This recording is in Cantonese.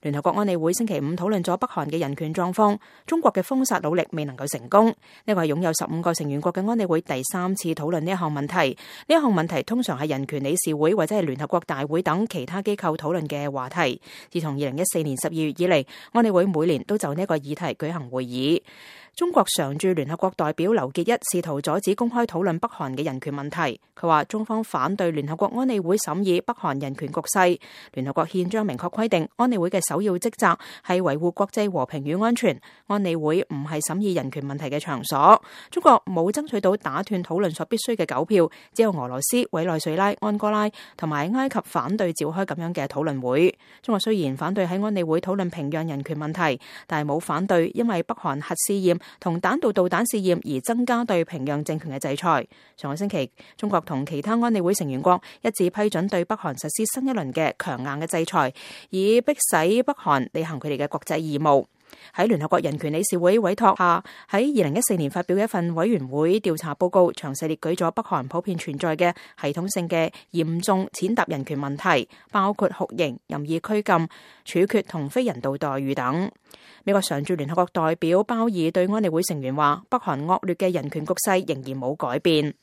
聯合國安理會星期五討論咗北韓嘅人權狀況，中國嘅封殺努力未能夠成功。呢個係擁有15個成員國嘅安理會第3次討論呢一項問題。呢一項問題通常係人權理事會或者係聯合國大會等其他機構討論嘅話題。自從2014年12月以嚟，安理會每年都就呢個議題舉行會議。中國常駐聯合國代表劉結一試圖阻止公開討論北韓嘅人權問題。佢話中方反對聯合國安理會審議北韓人權局勢。聯合國憲章明確規定，安理會嘅首要職責係維護國際和平與安全。安理會唔係審議人權問題嘅場所。中國冇爭取到打斷討論所必須嘅9票，只有俄羅斯、委內瑞拉、安哥拉同埋埃及反對召開咁樣嘅討論會。中國雖然反對喺安理會討論平壤人權問題，但係冇反對因為北韓核試驗同彈道導彈試驗而增加對平壤政權嘅制裁。上個星期，中國同其他安理會成員國一致批准對北韓實施新一輪嘅強硬嘅制裁，以迫使北韓履行佢哋嘅國際義務。喺聯合國人權理事會委託下，喺2014年發表嘅一份委員會調查報告，詳細列舉咗北韓普遍存在嘅系統性嘅嚴重踐踏人權問題，包括酷刑、任意拘禁、處決同非人道待遇等。美國常駐聯合國代表鮑爾對安理會成員話，北韓惡劣嘅人權局勢仍然冇改變。